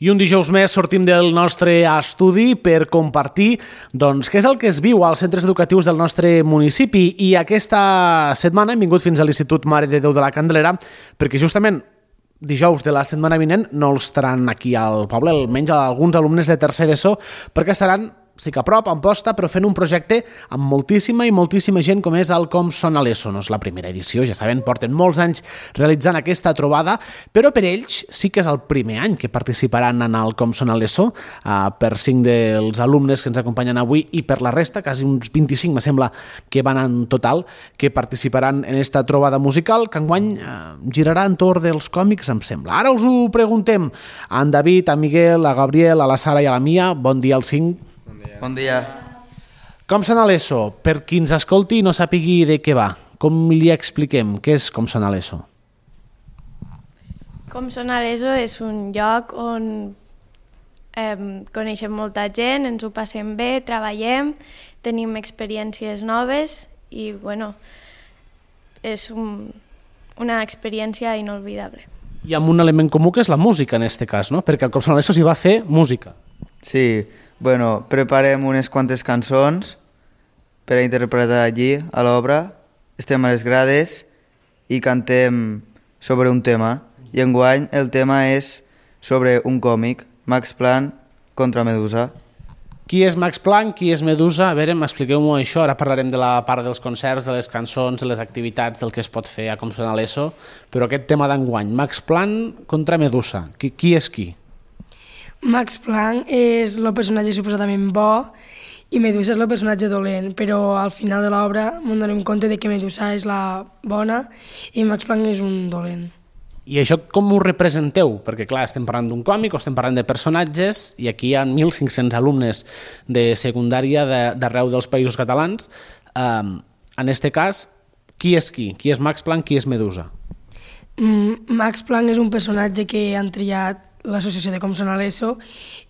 I un dijous més sortim del nostre estudi per compartir què és el que es viu als centres educatius del nostre municipi. I aquesta setmana hem vingut fins a l'Institut Mare de Déu de la Candelera perquè justament dijous de la setmana vinent no els estaran aquí al poble, almenys alguns alumnes de tercer d'ESO, perquè estaran sí que a prop, a Amposta, però fent un projecte amb moltíssima i moltíssima gent com és el Com Sona l'ESO. No és la primera edició, ja saben, porten molts anys realitzant aquesta trobada, però per ells sí que és el primer any que participaran en el Com Sona l'ESO, per 5 dels alumnes que ens acompanyen avui i per la resta, quasi uns 25, me sembla que van en total, que participaran en aquesta trobada musical, que enguany girarà entorn dels còmics, em sembla. Ara us ho preguntem a en David, a Miguel, a Gabriel, a la Sara i a la Mia. Bon dia als 5. Bon dia. Com sona l'ESO? Per qui ens escolti i no sàpigui de què va, com li expliquem què és Com sona l'ESO? Com sona l'ESO és un lloc on coneixem molta gent, ens ho passem bé, treballem, tenim experiències noves i bueno, és una experiència inolvidable. I amb un element comú que és la música en aquest cas, no? Perquè al Com sona l'ESO s'hi va fer música. Sí, bueno, preparem unes quantes cançons per a interpretar allí a l'obra, estem a les grades i cantem sobre un tema. I enguany el tema és sobre un còmic, Max Planck contra Medusa. Qui és Max Planck, qui és Medusa? A veure, expliqueu-m'ho això. Ara parlarem de la part dels concerts, de les cançons, de les activitats, del que es pot fer a Com sona l'ESO, però aquest tema d'enguany, Max Planck contra Medusa, qui és qui? Max Planck és el personatge suposadament bo i Medusa és el personatge dolent, però al final de l'obra ens donem compte de que Medusa és la bona i Max Planck és un dolent. I això com ho representeu? Perquè clar, estem parlant d'un còmic o estem parlant de personatges i aquí hi ha 1.500 alumnes de secundària d'arreu dels països catalans. En aquest cas, qui és qui? Qui és Max Planck, qui és Medusa? Max Planck és un personatge que han triat l'associació de Com sona l'ESO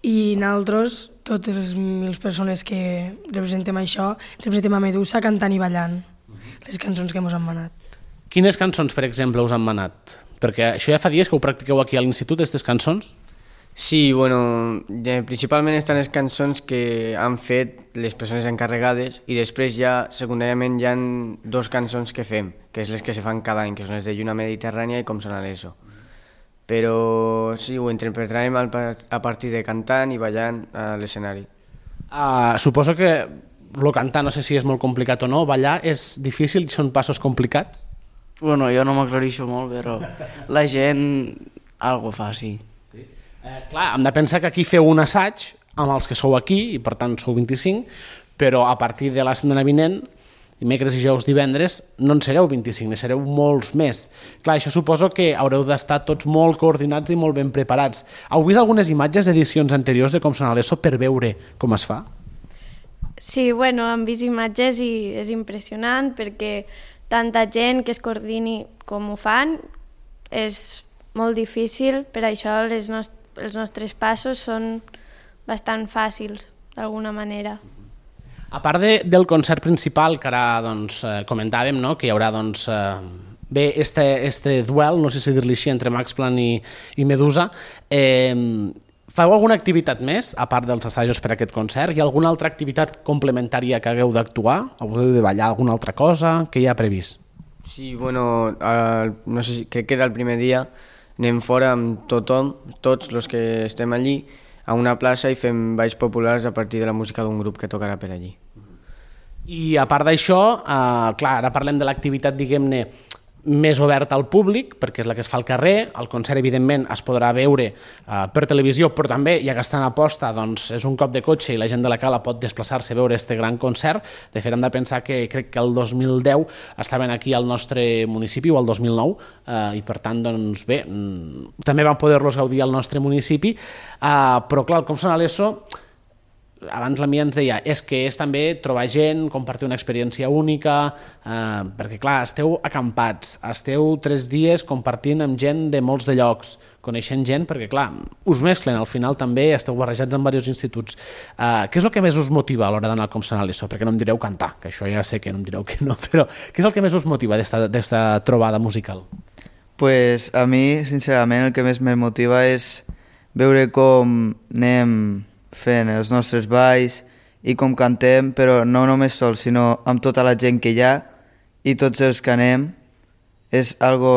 i nosaltres, totes les 1.000 persones que representem això, representem a Medusa cantant i ballant les cançons que ens han manat. Quines cançons, per exemple, us han manat? Perquè això ja fa dies que ho practiqueu aquí a l'institut, aquestes cançons? Sí, bueno, principalment estan les cançons que han fet les persones encarregades i després ja, secundàriament, hi ha 2 cançons que fem, que és les que se fan cada any, que són les de Lluna Mediterrània i Com sona l'ESO. Però sí, ho interpretarem a partir de cantant i ballant a l'escenari. Suposo que el cantar, no sé si és molt complicat o no, ballar és difícil, són passos complicats? Bueno, jo no m'aclareixo molt, però la gent algo fa, sí. Clar, hem de pensar que aquí feu un assaig amb els que sou aquí, i per tant sou 25, però a partir de la setmana vinent, dimecres, dijous, divendres, no en sereu 25, ne sereu molts més. Clar, això suposo que haureu d'estar tots molt coordinats i molt ben preparats. Heu vist algunes imatges d'edicions anteriors de Com sona l'ESO per veure com es fa? Sí, bueno, hem vist imatges i és impressionant perquè tanta gent que es coordini com ho fan és molt difícil, per això els nostres passos són bastant fàcils, d'alguna manera. A part del concert principal, que ara comentàvem, no? Que hi haurà bé este duel, no sé si dir-li així, entre Max Planck i Medusa, feu alguna activitat més, a part dels assajos per a aquest concert? Hi ha alguna altra activitat complementària que hagueu d'actuar? Hagueu de ballar alguna altra cosa? Què hi ha previst? Sí, bueno, no sé, crec que era el primer dia, anem fora amb tothom, tots els que estem allí, a una plaça i fem balls populars a partir de la música d'un grup que tocarà per allí. I a part d'això, clar, ara parlem de l'activitat, diguem-ne, més oberta al públic, perquè és la que es fa al carrer. El concert, evidentment, es podrà veure per televisió, però també, ja que està en aposta, doncs és un cop de cotxe i la gent de la Cala pot desplaçar-se a veure aquest gran concert. De fet, hem de pensar que crec que el 2010 estaven aquí al nostre municipi, o el 2009, i per tant, doncs bé, també van poder-los gaudir al nostre municipi, però clar, Com sona l'ESO, abans la Mia ens deia, és que és també trobar gent, compartir una experiència única, perquè clar, esteu acampats, esteu 3 dies compartint amb gent de molts de llocs, coneixent gent, perquè clar, us mesclen, al final també esteu barrejats en diversos instituts. Què és el que més us motiva a l'hora d'anar al Com sona l'ESO? Perquè no em direu cantar, que això ja sé que no em direu que no, però què és el que més us motiva d'esta trobada musical? Pues a mi, sincerament, el que més me motiva és veure com anem fent els nostres balls i com cantem, però no només sols, sinó amb tota la gent que hi ha i tots els que anem, és algo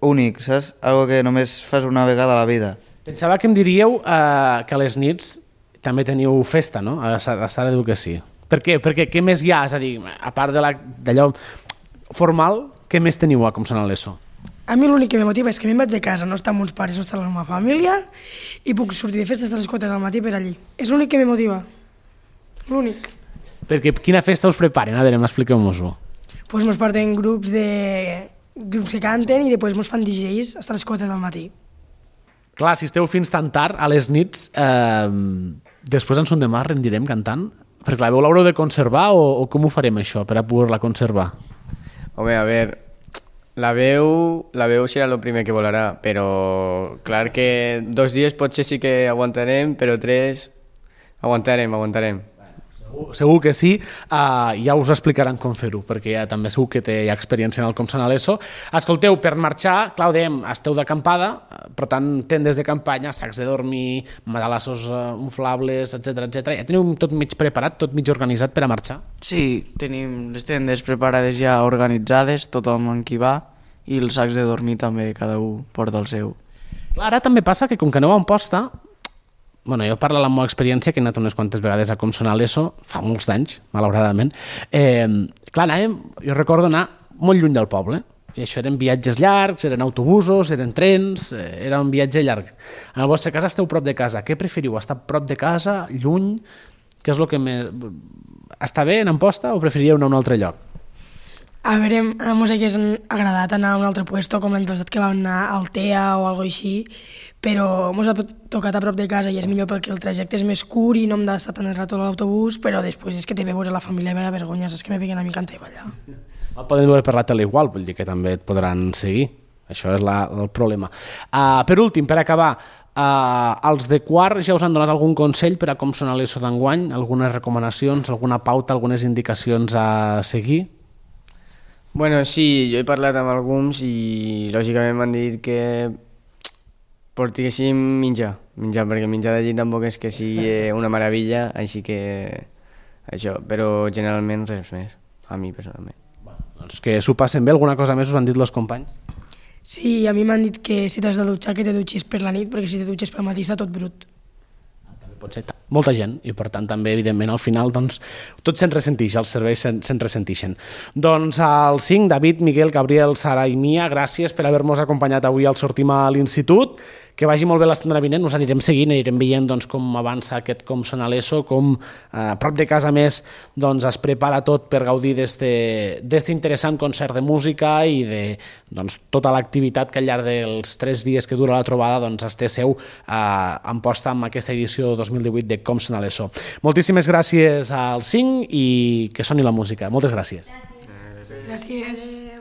únic, saps? Algo que només fas una vegada a la vida. Pensava que em diríeu que a les nits també teniu festa, no? A la sala d'educació. Per què? Perquè què més hi ha? És a dir, a part d'allò formal, què més teniu a Com sona l'ESO? A mi l'únic que me motiva és que me'n vaig de casa, no està amb uns pares, no està amb la meva família, i puc sortir de festes a les 4 del matí per allí. És l'únic que me motiva. L'únic. Perquè quina festa us preparen? A veure, expliqueu-nos-ho. Pues mos porten grups que canten i després mos fan DJs fins a les 4 del matí. Clar, si esteu fins tan tard, a les nits, després en son demà rendirem cantant? Perquè la veu l'haureu de conservar o com ho farem això per a poder-la conservar? Home, a veure, la veu serà el primer que volarà, però clar que 2 dies potser sí que aguantarem, però 3 aguantarem. Segur que sí, ja us explicaran com fer-ho, perquè ja també segur que hi ha experiència en el Com sona l'ESO. Escolteu, per marxar, clar, ho dèiem, esteu d'acampada, per tant, tendes de campanya, sacs de dormir, matalassos inflables, etc. Ja teniu tot mig preparat, tot mig organitzat per a marxar? Sí, tenim les tendes preparades ja organitzades, tothom en qui va, i els sacs de dormir també, cada un porta el seu. Clar, ara també passa que com que aneu a Amposta, bueno, jo parlo de la meva experiència, que he anat unes quantes vegades a Com sona l'ESO, fa molts d'anys, malauradament. Clar, anàvem, jo recordo anar molt lluny del poble, i això eren viatges llargs, eren autobusos, eren trens, era un viatge llarg. En el vostre cas esteu prop de casa, què preferiu? Estar prop de casa, lluny? Què és el que més... Està bé en Amposta o preferiríeu anar a un altre lloc? A veure, a mos hagués agradat anar a un altre puesto, com l'any passat que vam anar al TEA o alguna cosa així, però mos ha tocat a prop de casa i és millor perquè el trajecte és més curt i no hem d'estar tan rato a l'autobús, però després és que té de veure la família i veia vergonya, és que me peguen a mi cantar i ballar. El poden veure per la tele igual, vull dir que també et podran seguir. Això és el problema. Per últim, per acabar, els de quart ja us han donat algun consell per a Com sona l'ESO d'enguany? Algunes recomanacions, alguna pauta, algunes indicacions a seguir? Bueno, sí, jo he parlat amb alguns i lògicament m'han dit que portéssim menjar, perquè menjar d'allí tampoc és que sigui una meravella, així que això, però generalment res més, a mi personalment. Doncs que s'ho passen bé, alguna cosa més us han dit els companys? Sí, a mi m'han dit que si t'has de dutxar que te dutxis per la nit, perquè si te dutxes pel matí està tot brut. Pot ser molta gent i per tant també evidentment al final doncs, tot se'n ressentix, els serveis se'n ressentixen. Doncs al 5, David, Miguel, Gabriel, Sara i Mia, gràcies per haver-nos acompanyat avui al Sortim a l'Institut, que vagi molt bé la setmana vinent, us anirem seguint, anirem veient doncs, com avança aquest Com sona l'ESO, com a prop de casa més doncs, es prepara tot per gaudir d'este interessant concert de música i de doncs, tota l'activitat que al llarg dels 3 dies que dura la trobada doncs, es té seu a Amposta amb aquesta edició 2018 de Com sona l'ESO. Moltíssimes gràcies al 5 i que soni la música. Moltes gràcies. Gràcies.